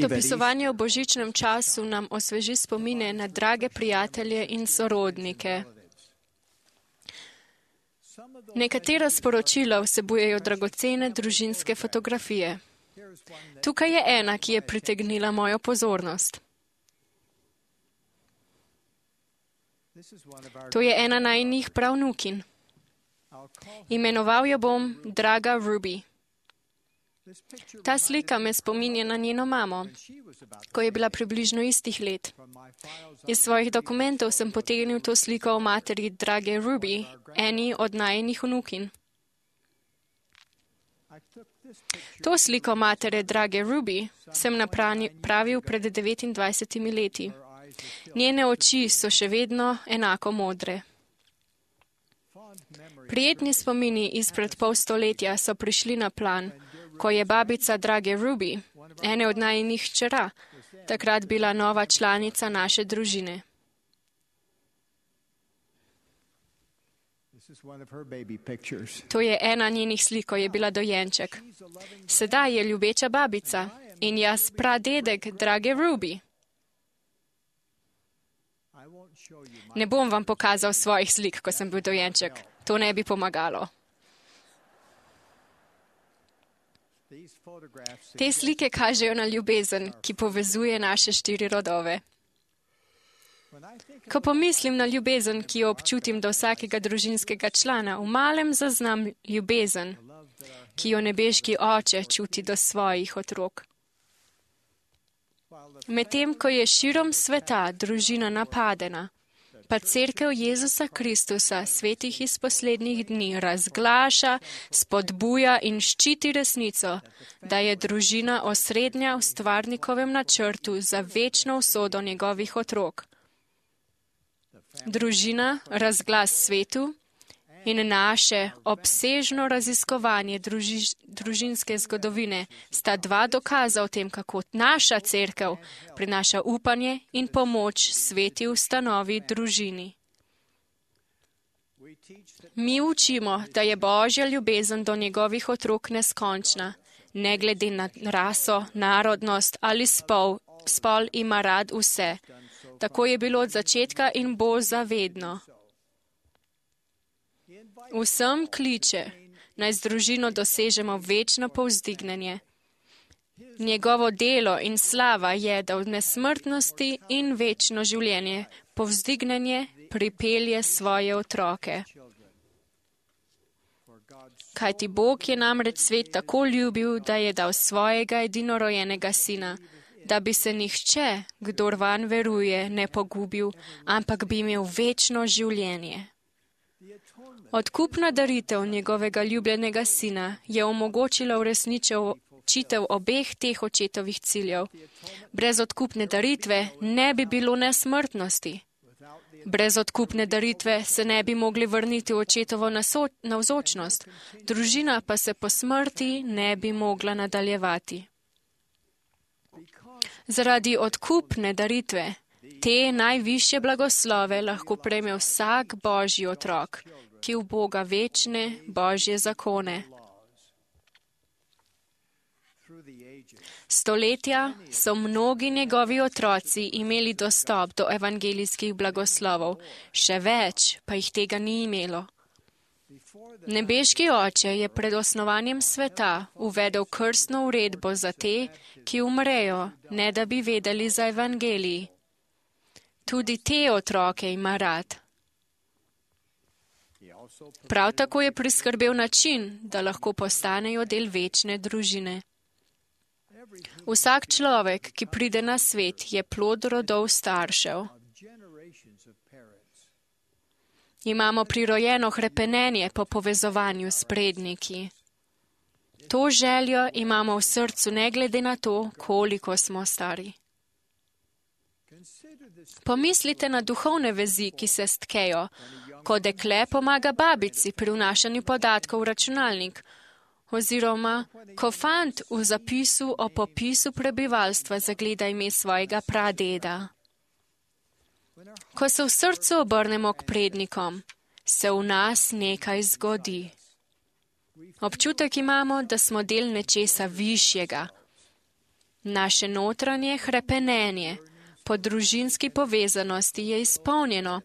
Dopisovanje v božičnem času nam osveži spomine na drage prijatelje in sorodnike. Nekatera sporočila vsebujejo dragocene družinske fotografije. Tukaj je ena, ki je pritegnila mojo pozornost. To je ena najinih pravnukinj. Imenoval jo bom Draga Ruby. Ta slika me spominja na njeno mamo, ko je bila približno istih let. Iz svojih dokumentov sem potegnil to sliko o materi Drage Ruby, eni od najinih vnukinj. To sliko matere Drage Ruby sem napravil pred 29 leti. Njene oči so še vedno enako modre. Prijetni spomini izpred pol stoletja so prišli na plan, ko je babica Drage Ruby, ene od najinih hčera, takrat bila nova članica naše družine. To je ena njenih slik, ko je bila dojenček. Sedaj je ljubeča babica in jaz pradedek Drage Ruby. Ne bom vam pokazal svojih slik, ko sem bil dojenček. To ne bi pomagalo. Te slike kažejo na ljubezen, ki povezuje naše 4 rodove. Ko pomislim na ljubezen, ki jo občutim do vsakega družinskega člana, v malem zaznam ljubezen, ki jo nebeški oče čuti do svojih otrok. Medtem, ko je širom sveta družina napadena, pa cerkev Jezusa Kristusa, svetih iz poslednjih dni, razglaša, spodbuja in ščiti resnico, da je družina osrednja v stvarnikovem načrtu za večno usodo njegovih otrok. Družina, razglas svetu in naše obsežno raziskovanje družinske zgodovine sta 2 dokaza o tem, kako naša cerkev prinaša upanje in pomoč sveti ustanovi družini. Mi učimo, da je Božja ljubezen do njegovih otrok neskončna, ne glede na raso, narodnost ali spol ima rad vse. Tako je bilo od začetka in bo zavedno. Vsem kliče, naj z družino dosežemo večno povzdignjenje. Njegovo delo in slava je, da v nesmrtnosti in večno življenje povzdignjenje pripelje svoje otroke. Kajti Bog je namreč svet tako ljubil, da je dal svojega edinorojenega sina, da bi se nihče, kdor vanj veruje, ne pogubil, ampak bi imel večno življenje. Odkupna daritev njegovega ljubljenega sina je omogočila uresničitev obeh teh očetovih ciljev. Brez odkupne daritve ne bi bilo nesmrtnosti. Brez odkupne daritve se ne bi mogli vrniti v očetovo navzočnost, družina pa se po smrti ne bi mogla nadaljevati. Zaradi odkupne daritve te najvišje blagoslove lahko prejme vsak Božji otrok, ki uboga večne Božje zakone. Stoletja so mnogi njegovi otroci imeli dostop do evangelijskih blagoslovov, še več pa jih tega ni imelo. Nebeški oče je pred osnovanjem sveta uvedel krstno uredbo za te, ki umrejo, ne da bi vedeli za evangelij. Tudi te otroke ima rad. Prav tako je priskrbel način, da lahko postanejo del večne družine. Vsak človek, ki pride na svet, je plod rodov staršev. Imamo prirojeno hrepenenje po povezovanju s predniki. To željo imamo v srcu ne glede na to, koliko smo stari. Pomislite na duhovne vezi, ki se stkejo, ko dekle pomaga babici pri vnašanju podatkov v računalnik, oziroma ko fant v zapisu o popisu prebivalstva zagleda ime svojega pradeda. Ko se v srcu obrnemo k prednikom, se v nas nekaj zgodi. Občutek imamo, da smo del nečesa višjega. Naše notranje hrepenenje po družinski povezanosti je izpolnjeno,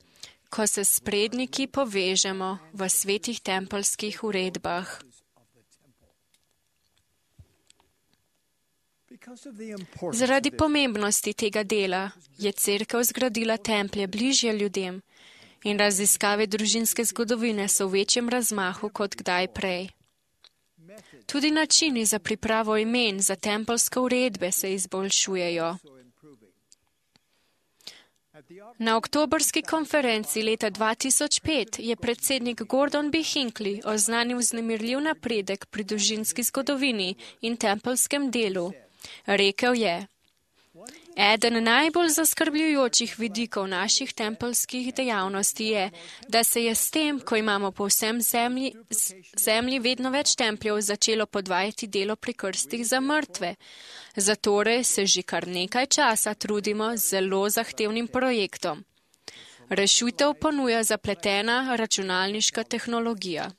ko se s predniki povežemo v svetih tempelskih uredbah. Zaradi pomembnosti tega dela je Cerkev zgradila templje bližje ljudem in raziskave družinske zgodovine so v večjem razmahu kot kdaj prej. Tudi načini za pripravo imen za tempelske uredbe se izboljšujejo. Na oktobrski konferenci leta 2005 je predsednik Gordon B. Hinckley oznanil vznemirljiv napredek pri družinski zgodovini in tempelskem delu. Rekel je: Eden najbolj zaskrbljujočih vidikov naših tempelskih dejavnosti je, da se je s tem, ko imamo po vsem zemlji vedno več templjev, začelo podvajati delo pri krstih za mrtve. Zatorej se že kar nekaj časa trudimo z zelo zahtevnim projektom. Rešitev ponuja zapletena računalniška tehnologija.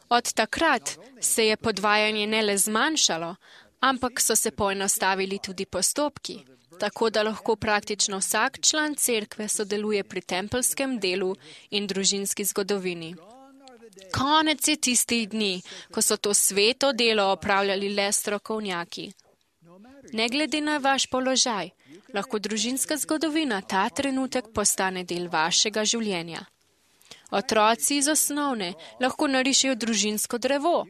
Od takrat se je podvajanje ne le zmanjšalo, ampak so se poenostavili tudi postopki, tako da lahko praktično vsak član cerkve sodeluje pri tempelskem delu in družinski zgodovini. Konec je tistih dni, ko so to sveto delo opravljali le strokovnjaki. Ne glede na vaš položaj, lahko družinska zgodovina ta trenutek postane del vašega življenja. Otroci iz osnovne lahko narišejo družinsko drevo,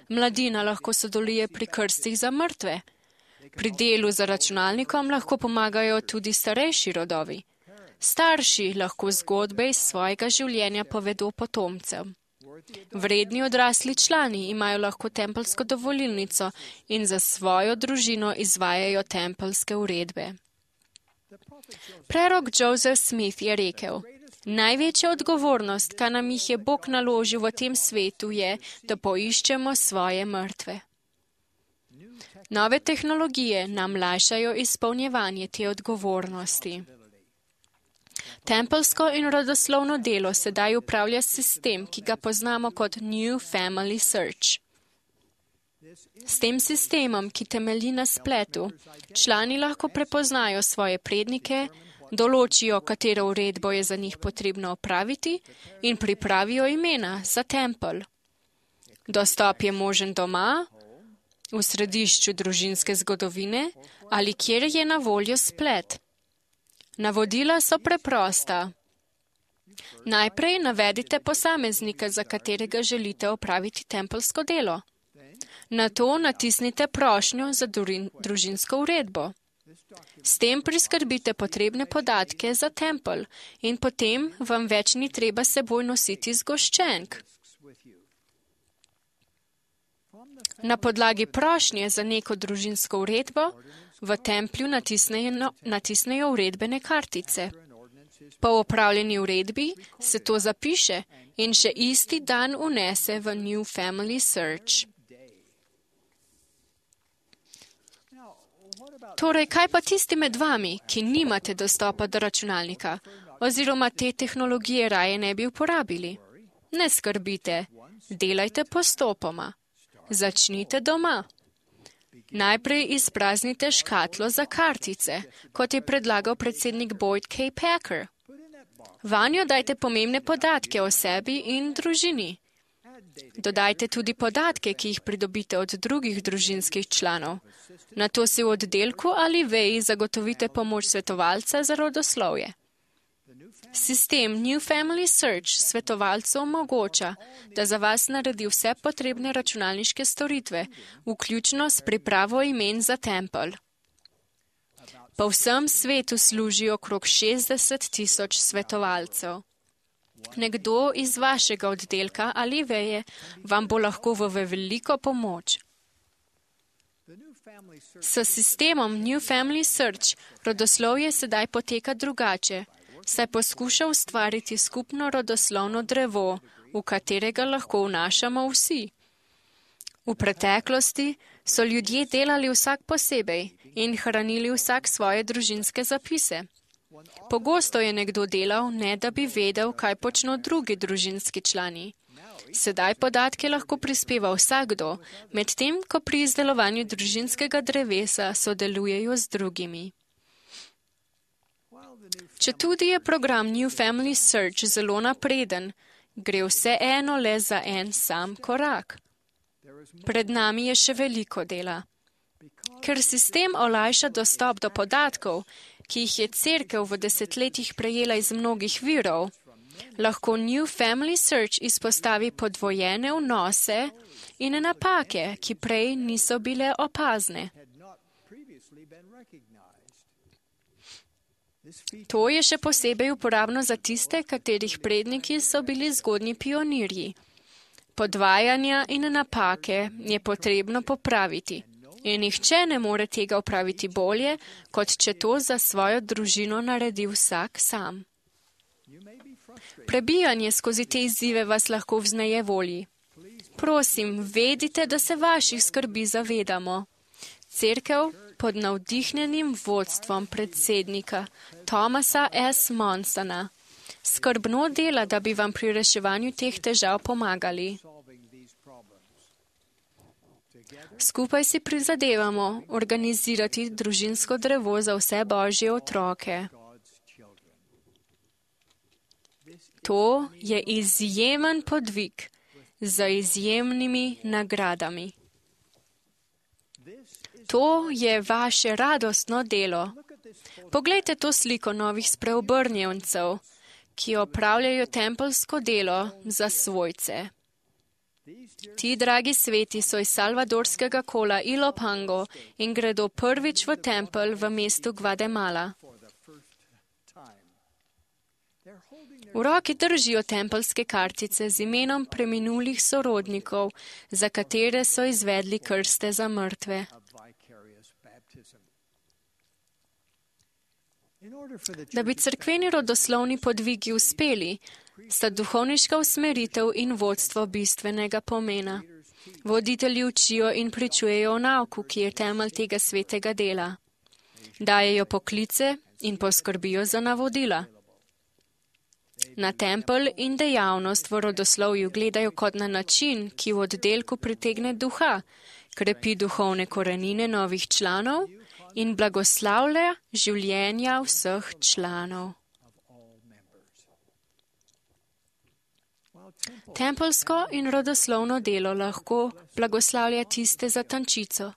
mladina lahko sodeluje pri krstih za mrtve. Pri delu za računalnikom lahko pomagajo tudi starejši rodovi. Starši lahko zgodbe iz svojega življenja povedo potomcem. Vredni odrasli člani imajo lahko tempelsko dovolilnico in za svojo družino izvajajo tempelske uredbe. Prerok Joseph Smith je rekel: Največja odgovornost, kar nam jih je Bog naložil v tem svetu, je, da poiščemo svoje mrtve. Nove tehnologije nam lajšajo izpolnjevanje te odgovornosti. Tempelsko in rodoslovno delo sedaj upravlja sistem, ki ga poznamo kot New Family Search. S tem sistemom, ki temelji na spletu, člani lahko prepoznajo svoje prednike, določijo, katero uredbo je za njih potrebno opraviti in pripravijo imena za tempelj. Dostop je možen doma, v središču družinske zgodovine ali kjer je na voljo splet. Navodila so preprosta. Najprej navedite posameznika, za katerega želite opraviti tempelsko delo. Nato natisnite prošnjo za družinsko uredbo. S tem priskrbite potrebne podatke za tempelj in potem vam več ni treba seboj nositi zgoščenk. Na podlagi prošnje za neko družinsko uredbo v templju natisnejo uredbene kartice. Po opravljeni uredbi se to zapiše in še isti dan unese v New Family Search. Torej, kaj pa tisti med vami, ki nimate dostopa do računalnika, oziroma te tehnologije raje ne bi uporabili? Ne skrbite, delajte postopoma. Začnite doma. Najprej izpraznite škatlo za kartice, kot je predlagal predsednik Boyd K. Packer. Vanjo dajte pomembne podatke o sebi in družini. Dodajte tudi podatke, ki jih pridobite od drugih družinskih članov. Nato si v oddelku ali veji zagotovite pomoč svetovalca za rodoslovje. Sistem New Family Search svetovalcu omogoča, da za vas naredi vse potrebne računalniške storitve, vključno s pripravo imen za tempelj. Po vsem svetu služi okrog 60,000 svetovalcev. Nekdo iz vašega oddelka ali veje vam bo lahko v veliko pomoč. S sistemom New Family Search rodoslovje sedaj poteka drugače, saj poskuša ustvariti skupno rodoslovno drevo, v katerega lahko vnašamo vsi. V preteklosti so ljudje delali vsak posebej in hranili vsak svoje družinske zapise. Pogosto je nekdo delal, ne da bi vedel, kaj počno drugi družinski člani. Sedaj podatke lahko prispeva vsakdo, medtem ko pri izdelovanju družinskega drevesa sodelujejo z drugimi. Četudi je program New Family Search zelo napreden, gre vseeno le za en sam korak. Pred nami je še veliko dela. Ker sistem olajša dostop do podatkov, ki jih je Cerkev v desetletjih prejela iz mnogih virov, lahko New Family Search izpostavi podvojene vnose in napake, ki prej niso bile opazne. To je še posebej uporabno za tiste, katerih predniki so bili zgodnji pionirji. Podvajanja in napake je potrebno popraviti. In nihče ne more tega opraviti bolje, kot če to za svojo družino naredi vsak sam. Prebijanje skozi te izzive vas lahko vzneje volji. Prosim, vedite, da se vaših skrbi zavedamo. Cerkev pod navdihnjenim vodstvom predsednika Thomasa S. Monsona skrbno dela, da bi vam pri reševanju teh težav pomagali. Skupaj si prizadevamo organizirati družinsko drevo za vse Božje otroke. To je izjemen podvig z izjemnimi nagradami. To je vaše radostno delo. Poglejte to sliko novih spreobrnjencev, ki opravljajo tempelsko delo za svojce. Ti dragi sveti so iz salvadorskega kola Ilopango in gredo prvič v tempelj v mestu Gvatemala. V roki držijo tempelske kartice z imenom preminulih sorodnikov, za katere so izvedli krste za mrtve. Da bi cerkveni rodoslovni podvigi uspeli, sta duhovniška usmeritev in vodstvo bistvenega pomena. Voditelji učijo in pričujejo o nauku, ki je temelj tega svetega dela. Dajejo poklice in poskrbijo za navodila. Na tempelj in dejavnost v rodoslovju gledajo kot na način, ki v oddelku pritegne duha, krepi duhovne korenine novih članov in blagoslavlja življenja vseh članov. Tempelsko in rodoslovno delo lahko blagoslavlja tiste za tančico,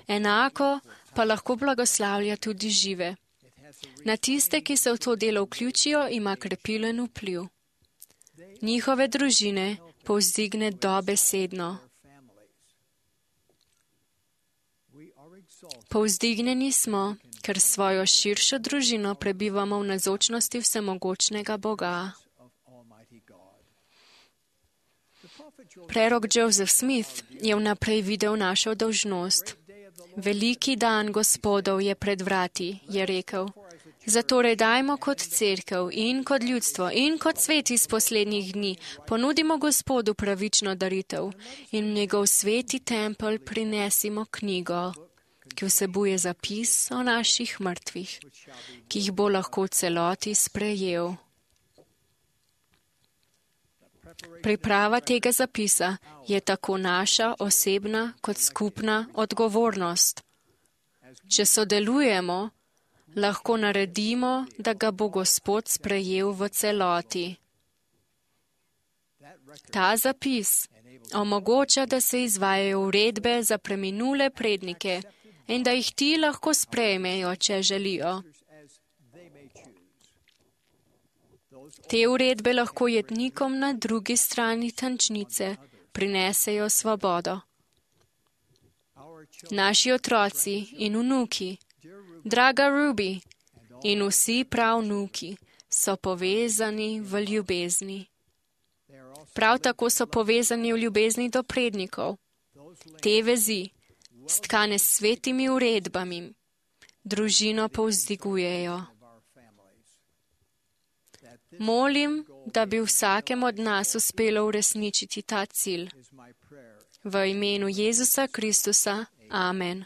enako pa lahko blagoslavlja tudi žive. Na tiste, ki se v to delo vključijo, ima krepilen vpliv. Njihove družine povzdigne dobesedno. Povzdignjeni smo, ker svojo širšo družino prebivamo v nazočnosti vsemogočnega Boga. Prerok Joseph Smith je vnaprej videl našo dolžnost. Veliki dan Gospodov je pred vrati, je rekel. Zatorej dajmo kot cerkev in kot ljudstvo in kot svet iz poslednjih dni ponudimo Gospodu pravično daritev in v njegov sveti tempelj prinesimo knjigo, ki vsebuje zapis o naših mrtvih, ki jih bo lahko v celoti sprejel. Priprava tega zapisa je tako naša osebna kot skupna odgovornost. Če sodelujemo, lahko naredimo, da ga bo Gospod sprejel v celoti. Ta zapis omogoča, da se izvajajo uredbe za preminule prednike in da jih ti lahko sprejmejo, če želijo. Te uredbe lahko jetnikom na drugi strani tančnice prinesejo svobodo. Naši otroci in vnuki, draga Ruby in vsi pravnuki so povezani v ljubezni. Prav tako so povezani v ljubezni do prednikov. Te vezi, stkane s svetimi uredbami, družino povzdigujejo. Molim, da bi vsakem od nas uspelo uresničiti ta cilj. V imenu Jezusa Kristusa. Amen.